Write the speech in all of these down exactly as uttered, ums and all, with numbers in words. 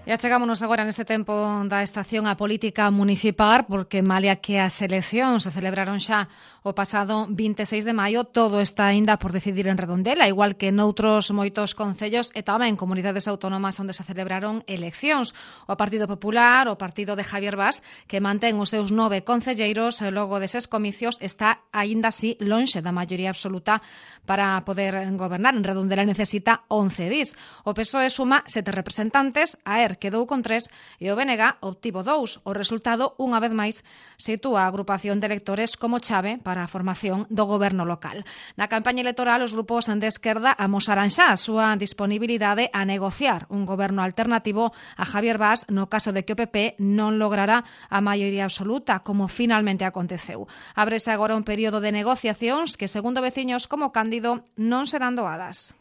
E achegámonos agora neste tempo da estación a política municipal, porque malia que as eleccións se celebraron xa o pasado vinte e seis de maio, todo está aínda por decidir en Redondela, igual que noutros moitos concellos e tamén comunidades autónomas onde se celebraron eleccións. O Partido Popular, o partido de Javier Bas, que mantén os seus nove concelleiros logo deses comicios, está aínda así lonxe da maioría absoluta para poder gobernar. En Redondela necesita once dís. O P S O E suma sete representantes, a ER quedou con tres e o B N G obtivo dous. O resultado, unha vez máis, sitúa a agrupación de electores como chave para a formación do goberno local. Na campaña electoral, os grupos de esquerda amosaran xa a súa disponibilidade a negociar un goberno alternativo a Javier Bas no caso de que o P P non lograra a maioría absoluta, como finalmente aconteceu. Ábrese agora un período de negociacións que, segundo veciños como Cándido, non serán doadas.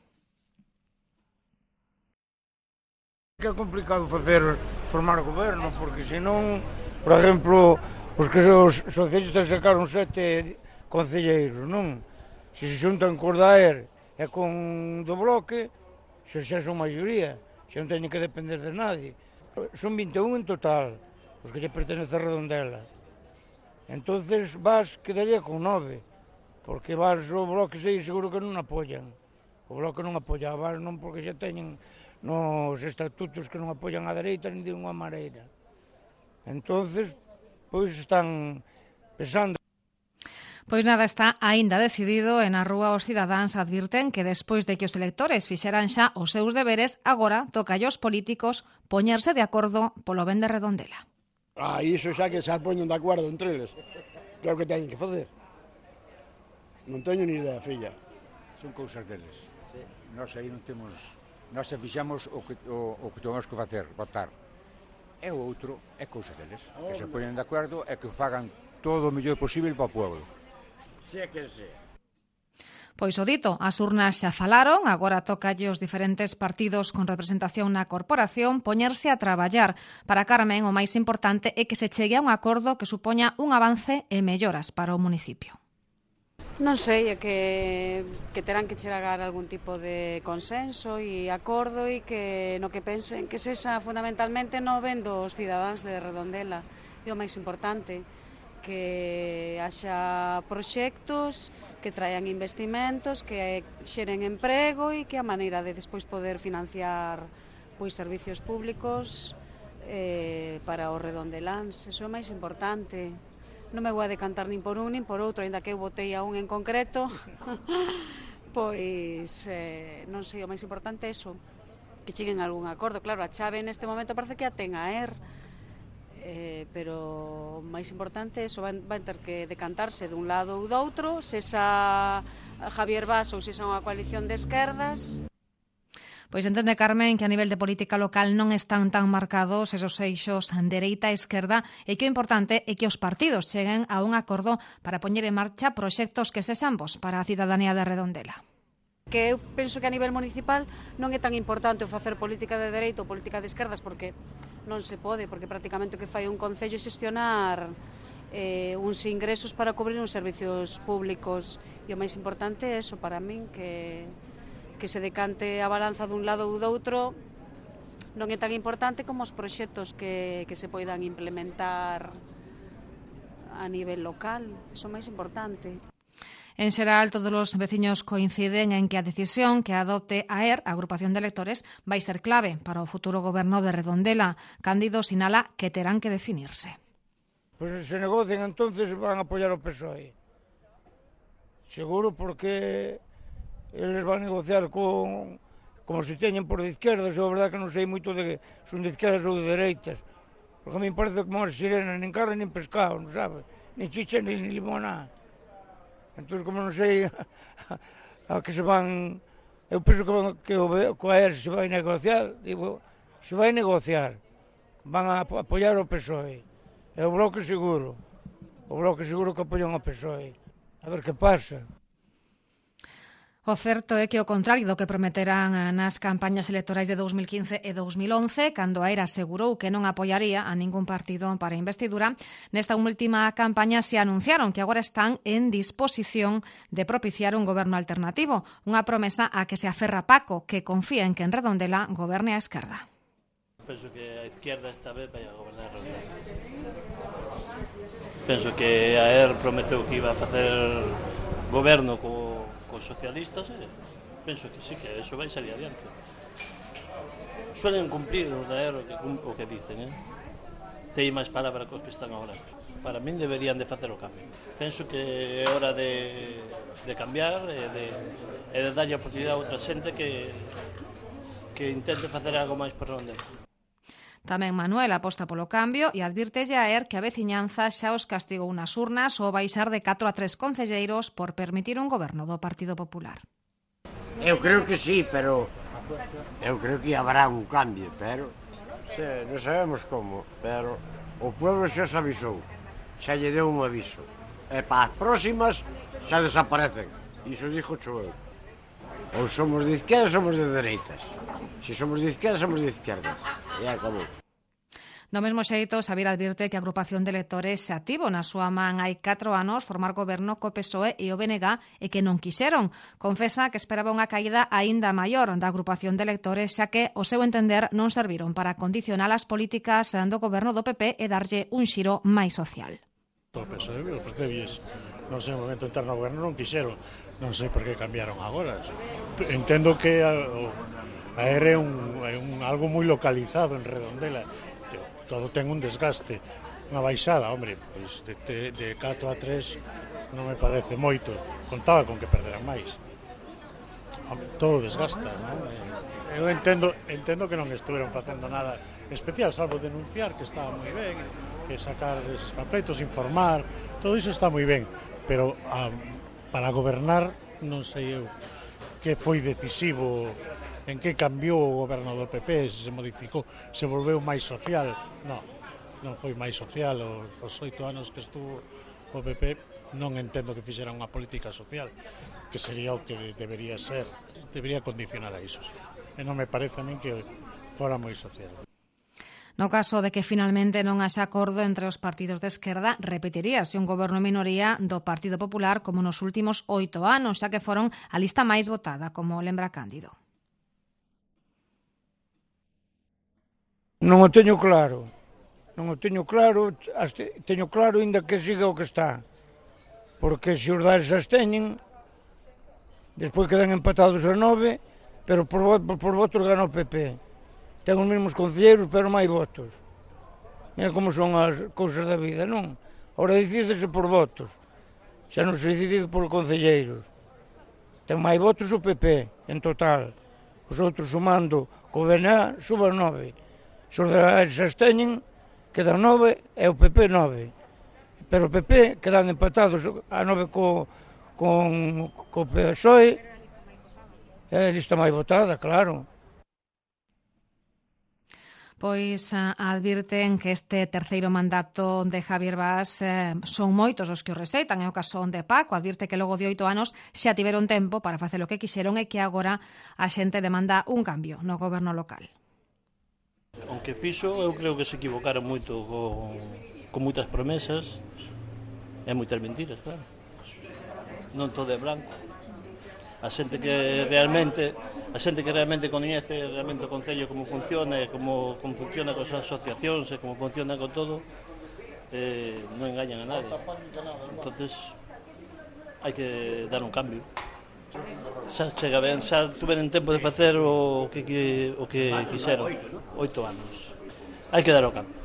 Que é complicado facer formar goberno, porque senón, por exemplo, os que os socialistas sacaron sete concelleiros, non? Se se xuntan con da E R e con do Bloque, xa xa son maioría, xa non teñen que depender de nadie. Son vinte e un en total, os que lle pertenece a Redondela. Entonces Bas quedaría con nove, porque Bas o Bloque sei seguro que non apoian. O Bloque non apoia a Bas non porque xa teñen nos estatutos que non apoian a dereita nin de unha maneira. Entonces, pois están pensando. Pois nada, está aínda decidido e na rúa os cidadáns advirten que despois de que os electores fixeran xa os seus deberes, agora toca aos políticos poñerse de acordo polo ben de Redondela. Ah, iso xa que xa poñen de acordo entre eles. Que é o que teñen que facer. Non teño ni idea, filla. Son cousas deles. Sí. Nós aí non temos... Nós se fixamos o que, o, o que temos que facer, votar. E o outro é cousa deles, oh, que se poñen de acordo e que fagan todo o mellor posible para o pueblo. Si é que se. Pois o dito, as urnas xa falaron, agora tocalle os diferentes partidos con representación na corporación poñerse a traballar. Para Carmen, o máis importante é que se chegue a un acordo que supoña un avance e melloras para o municipio. Non sei, é que, que terán que chegar a algún tipo de consenso e acordo e que no que pensen que sexa fundamentalmente no ben dos cidadáns de Redondela. E o máis importante, que haxa proxectos que traian investimentos, que xeren emprego e que a maneira de despois poder financiar pois servicios públicos eh, para os redondeláns. Eso é o máis importante. Non me vou a decantar nin por un nin por outro, ainda que eu votei a un en concreto, pois eh, non sei, o máis importante é eso, que cheguen a algún acordo. Claro, a chave neste momento parece que a ten a ER, eh, pero o máis importante é eso, van, van ter que decantarse dun lado ou do outro, se xa Javier Bas ou se xa unha coalición de esquerdas. Pois entende Carmen que a nivel de política local non están tan marcados esos eixos dereita e esquerda e que o importante é que os partidos cheguen a un acordo para poñer en marcha proxectos que sexan bos para a cidadanía de Redondela. Que eu penso que a nivel municipal non é tan importante o facer política de dereita ou política de esquerdas porque non se pode, porque prácticamente o que fai un concello é xestionar eh, uns ingresos para cubrir uns servicios públicos e o máis importante é eso para min, que que se decante a balanza dun lado ou do outro non é tan importante como os proxectos que, que se poidan implementar a nivel local, iso é máis importante. En xeral, todos os veciños coinciden en que a decisión que adopte a ER, a agrupación de electores, vai ser clave para o futuro goberno de Redondela. Cándido sinala que terán que definirse. Pois pues se negocian, entonces van a apoiar o P S O E. Seguro, porque eles van a negociar con, como se teñen por de izquierdas, e a verdade que non sei moito de son de izquierdas ou de dereitas, porque a mí parece como as sirenas, nin carne nin pescado, non sabe, nin chicha nin limoná. Entón, como non sei a, a que se van, eu penso que, van, que o, que a ER se vai negociar, digo, se vai negociar, van a apoiar o P S O E, e o Bloque seguro, o Bloque seguro que apoian o P S O E, a ver que pasa. O certo é que o contrario do que prometeran nas campañas electorais de dous mil quince e dous mil once, cando a ER asegurou que non apoiaría a ningún partido para a investidura, nesta última campaña se anunciaron que agora están en disposición de propiciar un goberno alternativo, unha promesa a que se aferra Paco, que confía en que en Redondela goberne a esquerda. penso que a izquierda esta vez vai a gobernar Rodríguez. Penso que a E R prometeu que iba a facer goberno co, co socialistas e penso que sí, que eso vai salir adiante. Suelen cumplir os da E R o que, o que dicen, eh? Tei máis palabra cos que están agora. Para min deberían de facer o cambio. Penso que é hora de, de cambiar e de, e de darlle a oportunidade a outra xente que, que intente facer algo máis por onde. Tamén Manuel aposta polo cambio e advirtelle a E R que a veciñanza xa os castigou nas urnas ao baixar de catro a tres concelleiros por permitir un goberno do Partido Popular. Eu creo que sí, pero eu creo que habrá un cambio, pero sí, non sabemos como, pero o pueblo xa se avisou, xa lle deu un aviso, e para as próximas xa desaparecen, iso dixo eu. Ou somos de izquierda, somos de dereitas. Se somos de izquierda, somos de izquierdas. E acabou. Do mesmo xeito, Xavier advirte que a agrupación de electores se ativo na súa man hai catro anos formar goberno co P S O E e o B N G e que non quixeron. Confesa que esperaba unha caída aínda maior da agrupación de electores, xa que, o seu entender, non serviron para condicionar as políticas do goberno do P P e darlle un xiro máis social. O P S O E ofrecebies, non sei, no momento interno ao goberno non quixeron, non sei por que cambiaron agora. Entendo que a, a E R é, un, é un, algo moi localizado en Redondela, todo ten un desgaste, unha baixada, hombre, pois de, de, de catro a tres non me parece moito, contaba con que perderan máis. Hombre, todo desgasta, non? Eu entendo, entendo que non estuveron facendo nada especial, salvo denunciar que estaba moi ben, que sacar esos panfletos, informar, todo iso está moi ben, pero a, para gobernar non sei eu que foi decisivo, en que cambiou o goberno do P P, se se modificou, se volveu máis social. Non, non foi máis social. Os oito anos que estuvo o P P non entendo que fixera unha política social, que sería o que debería ser, debería condicionar a iso. E non me parece a min que fora moi social. No caso de que finalmente non haxa acordo entre os partidos de esquerda, repetiríase un goberno minoría do Partido Popular como nos últimos oito anos, xa que foron a lista máis votada, como lembra Cándido. Non o teño claro, non o teño claro, teño claro ainda que siga o que está, porque se os dares as teñen, despois quedan empatados a nove, pero por, por, por votos gana o P P. Ten os mesmos concelleiros, pero máis votos. Mira como son as cousas da vida, non? Ora decidese por votos, xa non se decide por concelleiros. Ten máis votos o P P, en total. Os outros sumando co B N A suban nove. Se os dares as teñen, quedan nove e o P P nove. Pero o P P quedan empatados a nove co, con, co P S O E. É a lista máis votada, claro. Pois advirten que este terceiro mandato de Javier Bas eh, son moitos os que o receitan. É o caso de Paco, advirte que logo de oito anos xa tiveron tempo para facer o que quixeron e que agora a xente demanda un cambio no goberno local. Aunque fixo, eu creo que se equivocaron moito con, con moitas promesas e moitas mentiras, claro. Non todo é branco. A xente que realmente a xente que realmente coñece realmente o Concello como funciona e como, como funciona con as asociacións e como funciona con todo, eh, non engañan a nadie. Entonces hai que dar un cambio. Xa chega ben, xa tuveren tempo de facer o que, que, o que quixeron, oito anos. Hai que dar o cambio.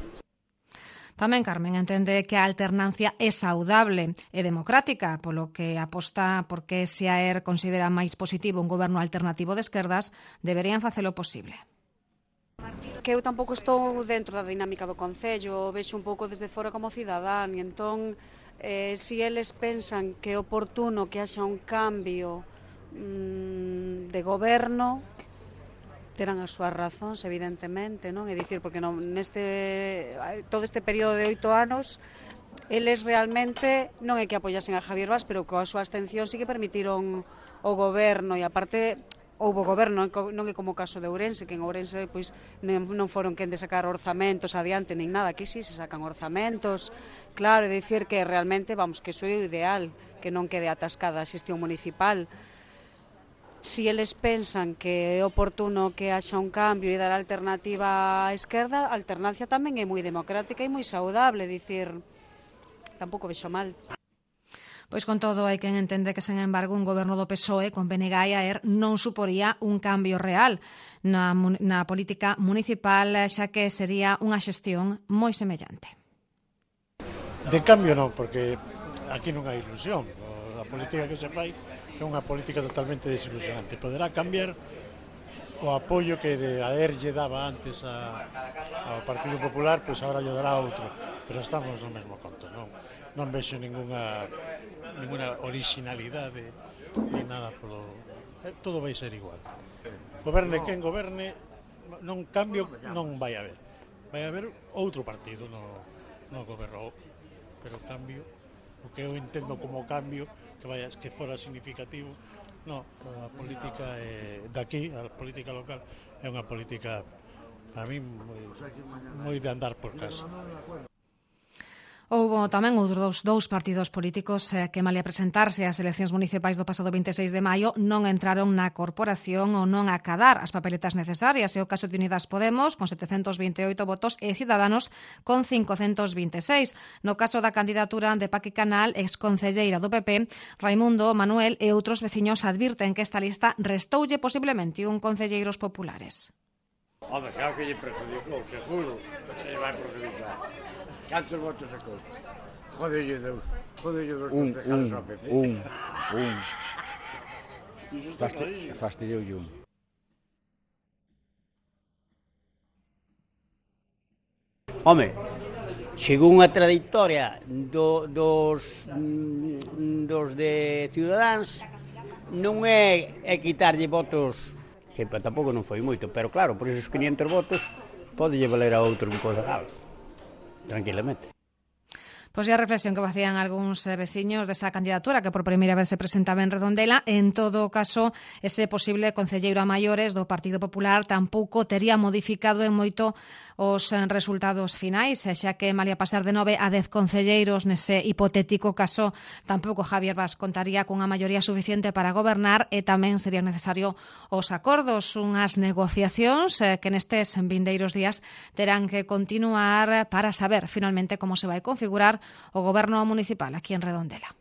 Tamén Carmen entende que a alternancia é saudable e democrática, polo que aposta porque se a E R considera máis positivo un goberno alternativo de esquerdas, deberían facelo posible. Que eu tampouco estou dentro da dinámica do Concello, vexo un pouco desde fora como cidadán, e entón, eh, se eles pensan que é oportuno que haxa un cambio mmm, de goberno, terán as súas razóns, evidentemente, non? É dicir, porque non, neste, todo este período de oito anos, eles realmente non é que apoyasen a Javier Bas, pero coa súa abstención sí que permitiron o goberno, e aparte houbo goberno, non é como o caso de Ourense, que en Ourense pois, non foron quen de sacar orzamentos adiante, nin nada, aquí sí se sacan orzamentos, claro, é dicir que realmente, vamos, que iso é o ideal, que non quede atascada a xestión municipal. si eles pensan que é oportuno que haxa un cambio e dar alternativa á esquerda, a alternancia tamén é moi democrática e moi saudable, dicir, tampouco vexo mal. Pois con todo hai quen entende que, sen embargo, un goberno do P S O E con B N G e A E R non suporía un cambio real na, na política municipal, xa que sería unha xestión moi semellante. De cambio non, porque aquí non hai ilusión. A política que se fai é unha política totalmente desilusionante. Poderá cambiar o apoio que de A E R lle daba antes a, ao Partido Popular, pois agora lle dará outro. Pero estamos no mesmo conto, non, non vexo ninguna, ninguna originalidade ni nada polo... Todo vai ser igual. Goberne quen goberne, non cambio non vai haber. Vai haber outro partido no, no goberno, pero cambio, o que eu entendo como cambio, que vaya, que fora significativo, no, a política é, daqui, a política local, é unha política, a mí, moi, moi de andar por casa. Houbo tamén outros dous partidos políticos que, malia presentarse ás eleccións municipais do pasado veintiséis de maio, non entraron na corporación ou non acadar as papeletas necesarias. É o caso de Unidas Podemos, con setecentos vinte e oito votos, e Ciudadanos, con cincocentos vinte e seis. No caso da candidatura de Paqui Canal, exconcelleira do P P, Raimundo, Manuel e outros veciños advirten que esta lista restoulle posiblemente un concelleiros populares. Home, claro que lle perjudicou, seguro, que vai perjudicar. Cantos votos sacou? Jodelle dous, jodelle dous concejales ao P P. Un, un, un. Fastidioulle un. Home, según a trayectoria do, dos, dos de Ciudadáns, non é, é quitarlle votos, que tampouco non foi moito, pero claro, por esos quinientos votos pode lle valer a outro un concejal. Tranquilamente. Pois é a reflexión que facían algúns veciños desta candidatura que por primeira vez se presentaba en Redondela. En todo caso, ese posible concelleiro a maiores do Partido Popular tampouco tería modificado en moito os resultados finais, xa que malia pasar de nove a dez concelleiros nese hipotético caso, tampouco Javier Bas contaría cunha maioría suficiente para gobernar e tamén sería necesario os acordos, unhas negociacións que nestes vindeiros días terán que continuar para saber finalmente como se vai configurar o goberno municipal aquí en Redondela.